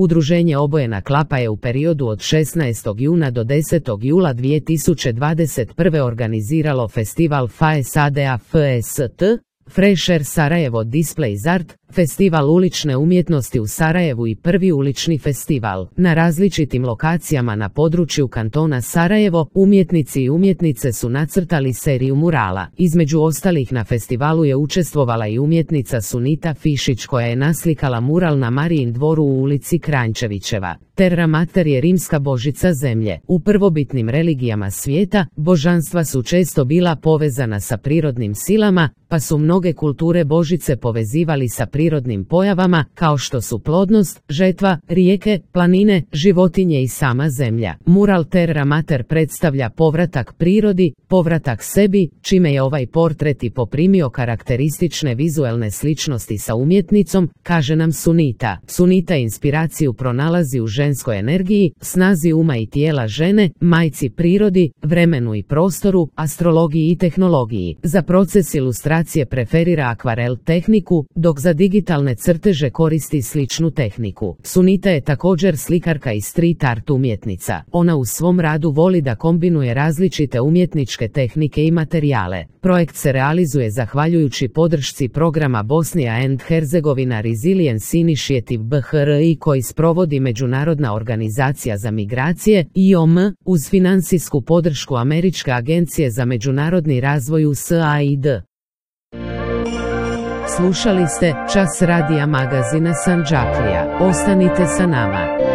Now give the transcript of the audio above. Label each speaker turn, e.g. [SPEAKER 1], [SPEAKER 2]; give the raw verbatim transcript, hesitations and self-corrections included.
[SPEAKER 1] Udruženje Obojena klapa je u periodu od šesnaestog juna do desetog jula dvije tisuće dvadeset prve organiziralo festival F A E S A D A F S T, Fresher Sarajevo Displays Art, festival ulične umjetnosti u Sarajevu i prvi ulični festival. Na različitim lokacijama na području kantona Sarajevo, umjetnici i umjetnice su nacrtali seriju murala. Između ostalih na festivalu je učestvovala i umjetnica Sunita Fišić koja je naslikala mural na Marijin dvoru u ulici Kranjčevićeva. Terra Mater je rimska božica zemlje. U prvobitnim religijama svijeta, božanstva su često bila povezana sa prirodnim silama, pa su mnoge kulture božice povezivali sa prirodnim pojavama, kao što su plodnost, žetva, rijeke, planine, životinje i sama zemlja. Mural Terra Mater predstavlja povratak prirodi, povratak sebi, čime je ovaj portret i poprimio karakteristične vizuelne sličnosti sa umjetnicom, kaže nam Sunita. Sunita inspiraciju pronalazi u ženskoj energiji, snazi uma i tijela žene, majci prirodi, vremenu i prostoru, astrologiji i tehnologiji. Za proces ilustracije preferira akvarel tehniku, dok za digitalne crteže koristi sličnu tehniku. Sunita je također slikarka i street art umjetnica. Ona u svom radu voli da kombinuje različite umjetničke tehnike i materijale. Projekt se realizuje zahvaljujući podršci programa Bosnia and Herzegovina Resilience Initiative B H R I koji sprovodi Međunarodna organizacija za migracije I O M uz financijsku podršku Američke agencije za međunarodni razvoj U S A I D. Slušali ste Čas radija magazina Sandžaklija. Ostanite sa nama.